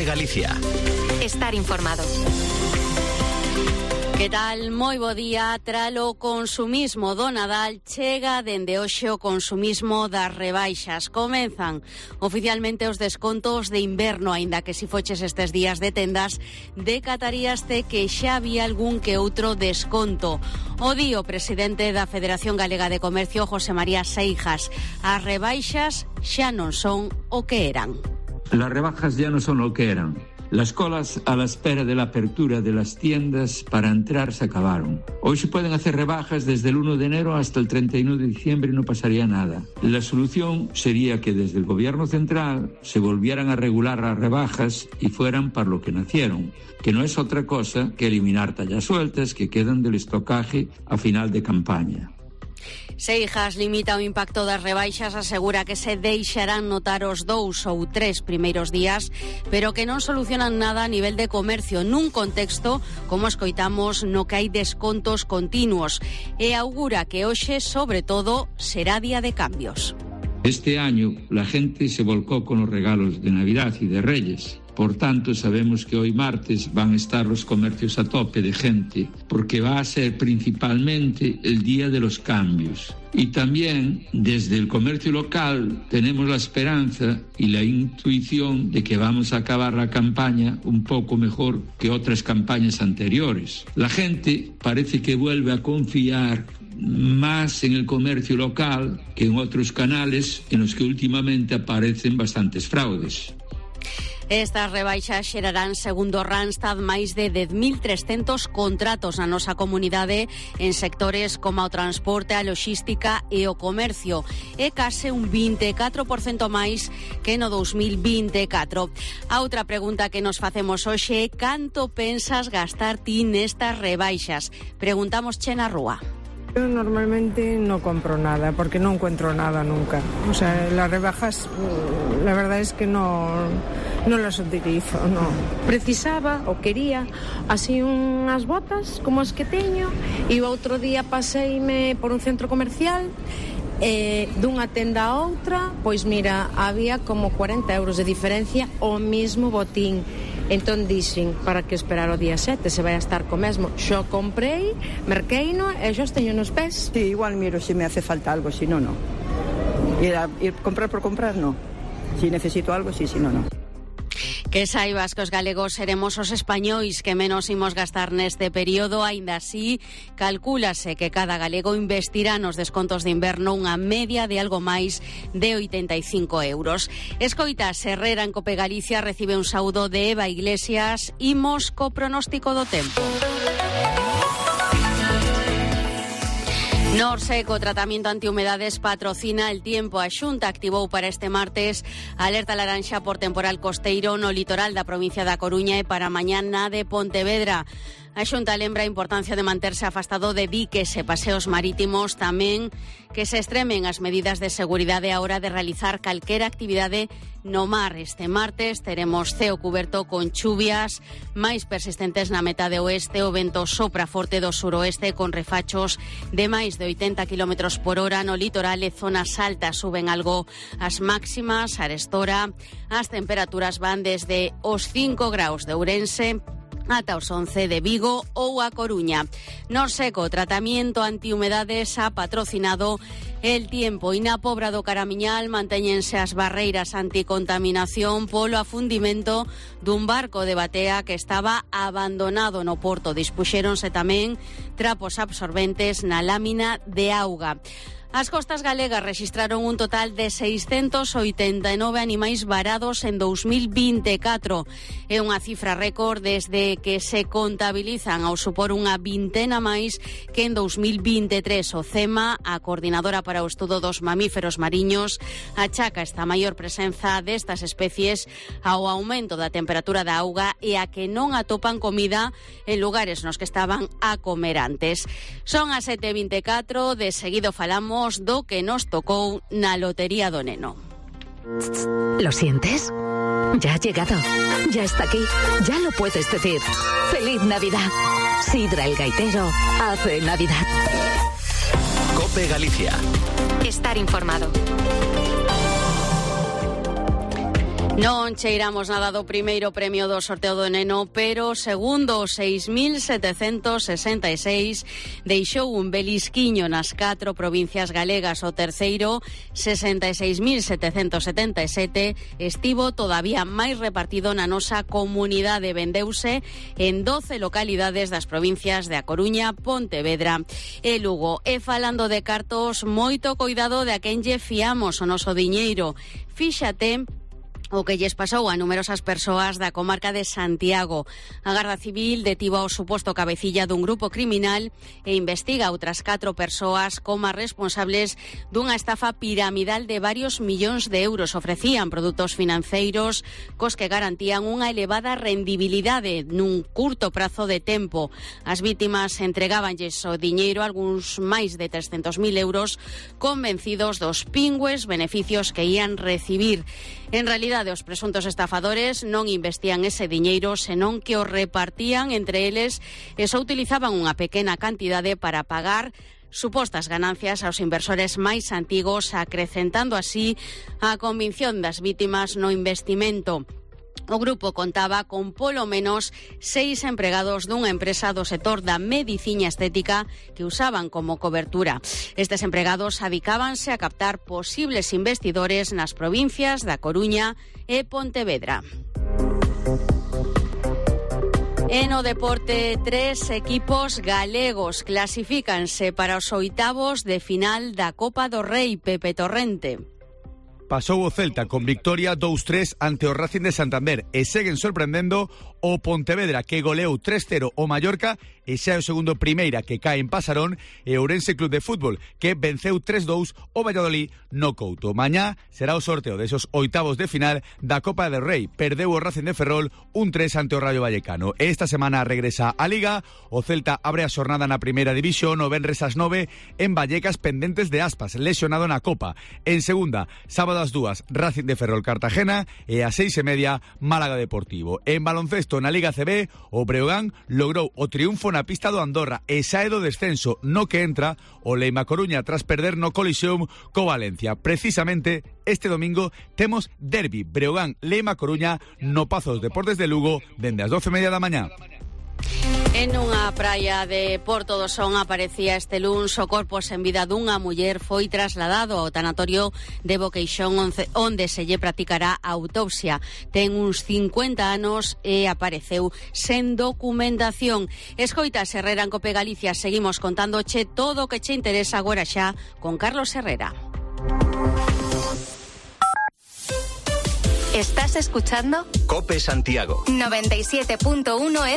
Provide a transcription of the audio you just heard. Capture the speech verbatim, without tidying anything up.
COPE Galicia. Estar informado. Que tal? Moi bo día. Tralo consumismo do Nadal chega dende hoxe o consumismo das rebaixas. Comenzan oficialmente os descontos de inverno, aínda que si foches estes días de tendas, decataríaste que xa había algún que outro desconto. O di o presidente da Federación Galega de Comercio, José María Seijas. As rebaixas xa non son o que eran. Las rebajas ya no son lo que eran. Las colas a la espera de la apertura de las tiendas para entrar se acabaron. Hoy se pueden hacer rebajas desde el uno de enero hasta el treinta y uno de diciembre y no pasaría nada. La solución sería que desde el gobierno central se volvieran a regular las rebajas y fueran para lo que nacieron, que no es otra cosa que eliminar tallas sueltas que quedan del estocaje a final de campaña. Seijas limita o impacto das rebaixas, asegura que se deixarán notar os dous ou tres primeiros días, pero que non solucionan nada a nivel de comercio nun contexto, como escoitamos, no que hai descontos continuos, e augura que hoxe, sobre todo, será día de cambios. Este año la gente se volcó con los regalos de Navidad y de Reyes. Por tanto, sabemos que hoy martes van a estar los comercios a tope de gente, porque va a ser principalmente el día de los cambios. Y también, desde el comercio local, tenemos la esperanza y la intuición de que vamos a acabar la campaña un poco mejor que otras campañas anteriores. La gente parece que vuelve a confiar más en el comercio local que en otros canales en los que últimamente aparecen bastantes fraudes. Estas rebaixas xerarán, segundo Randstad, máis de dez mil trescentos contratos na nosa comunidade en sectores como o transporte, a loxística e o comercio. É case un vinte e catro por cento máis que no dos mil vinte e catro. A outra pregunta que nos facemos hoxe é: canto pensas gastar ti nestas rebaixas? Preguntamos che na rúa. Yo normalmente no compro nada porque no encuentro nada nunca. O sea, las rebajas, la verdad es que no, no las utilizo, no. Precisaba ou quería así unhas botas como as que teño e o outro día paseime por un centro comercial e dunha tenda a outra, pois mira, había como cuarenta euros de diferencia o mismo botín. Entón dixen, para que esperar o día sete, se vai a estar co mesmo. Xo comprei, merqueino e xo teño nos pés. Sí, igual miro se me hace falta algo, si no, no. Ir a ir comprar por comprar, no. Si necesito algo, sí, si no, no. Que saibas que os galegos seremos os españois que menos imos gastar neste período. Aínda así, calcúlase que cada galego investirá nos descontos de inverno unha media de algo máis de oitenta e cinco euros. Escoita, Herrera en Cope Galicia recibe un saúdo de Eva Iglesias. Imos co pronóstico do tempo. Norseco, tratamento antihumedades, patrocina el tiempo. A Xunta activou para este martes alerta laranxa por temporal costeiro no litoral da provincia da Coruña e para mañá na de Pontevedra. A Xunta lembra a importancia de manterse afastado de diques e paseos marítimos, tamén que se extremen as medidas de seguridade a hora de realizar calquera actividade no mar. Este martes teremos ceo cuberto con chuvias máis persistentes na metade oeste. O vento sopra forte do suroeste con refachos de máis de oitenta kilómetros por hora no litoral e zonas altas. Suben algo as máximas. Arestora as temperaturas van desde os cinco graus de Ourense ata os once de Vigo ou a Coruña. Norseco, tratamento antihumedades, ha patrocinado el tiempo. E na Pobra do Caramiñal mantéñense as barreiras anticontaminación polo afundimento dun barco de batea que estaba abandonado no porto. Dispuxéronse tamén trapos absorbentes na lámina de auga. As costas galegas rexistraron un total de seiscentos oitenta e nove animais varados en dous mil vinte e catro. É unha cifra récord desde que se contabilizan ao supor unha vintena máis que en dous mil vinte e tres. O CEMA, a Coordinadora para o Estudo dos Mamíferos Mariños, achaca esta maior presenza destas especies ao aumento da temperatura da auga e a que non atopan comida en lugares nos que estaban a comer antes. Son as sete e vinte e catro, de seguido falamos do que nos tocou na Lotería do Neno. ¿Lo sientes? Ya ha llegado, ya está aquí, ya lo puedes decir. ¡Feliz Navidad! Sidra el Gaitero hace Navidad. COPE Galicia. Estar informado. Non cheiramos nada do primeiro premio do sorteo do Neno, pero segundo seis mil setecentos sesenta e seis deixou un belisquiño nas catro provincias galegas. O terceiro, sesenta e seis mil setecentos setenta e sete, estivo todavía máis repartido na nosa comunidade. Vendeuse en doce localidades das provincias de A Coruña, Pontevedra e Lugo. E falando de cartos, moito coidado de a quen lle fiamos o noso diñeiro. Fíxate o que lles pasou a numerosas persoas da comarca de Santiago. A Garda Civil detivo ao suposto cabecilla dun grupo criminal e investiga outras catro persoas como responsables dunha estafa piramidal de varios millóns de euros. Ofrecían produtos financeiros cos que garantían unha elevada rendibilidade nun curto prazo de tempo. As vítimas entregábanlles o diñeiro, algúns máis de trescentos mil euros, convencidos dos pingües beneficios que ían recibir. En realidade, os presuntos estafadores non investían ese diñeiro, senón que o repartían entre eles e só utilizaban unha pequena cantidade para pagar supostas ganancias aos inversores máis antigos, acrecentando así a convicción das vítimas no investimento. O grupo contaba con polo menos seis empregados dunha empresa do sector da mediciña estética que usaban como cobertura. Estes empregados adicábanse a captar posibles investidores nas provincias da Coruña e Pontevedra. E no deporte, tres equipos galegos clasifícanse para os oitavos de final da Copa do Rei. Pepe Torrente. Pasou o Celta con victoria dous tres ante o Racing de Santander e seguen sorprendendo o Pontevedra, que goleou tres cero o Mallorca e xa é o segundo primeira que cae en Pasarón, e o Ourense Club de Fútbol, que venceu tres dous o Valladolid no Couto. Mañá será o sorteo desos oitavos de final da Copa del Rei. Perdeu o Racing de Ferrol un tres ante o Rayo Vallecano. Esta semana regresa a Liga. O Celta abre a xornada na primeira división o venres ás nove en Vallecas, pendentes de Aspas, lesionado na Copa. En segunda, sábado ás dúas, Racing de Ferrol Cartagena, e ás seis e media, Málaga Deportivo. En baloncesto, na Liga C B, o Breogán logrou o triunfo na pista do Andorra e sae do descenso, no que entra o Leima Coruña tras perder no colisión co Valencia. Precisamente este domingo temos derbi Breogán-Leima Coruña no Pazo dos Deportes de Lugo dende as doce e media da mañá. En unha praia de Porto do Son aparecía este luns o corpo sen vida dunha muller. Foi trasladado ao tanatorio de Boqueixón, onde se lle practicará a autopsia. Ten uns cincuenta anos e apareceu sen documentación. Escoitas Herrera en Cope Galicia. Seguimos contándoche todo o que che interesa agora xa con Carlos Herrera. ¿Estás escuchando? Cope Santiago noventa y siete punto uno F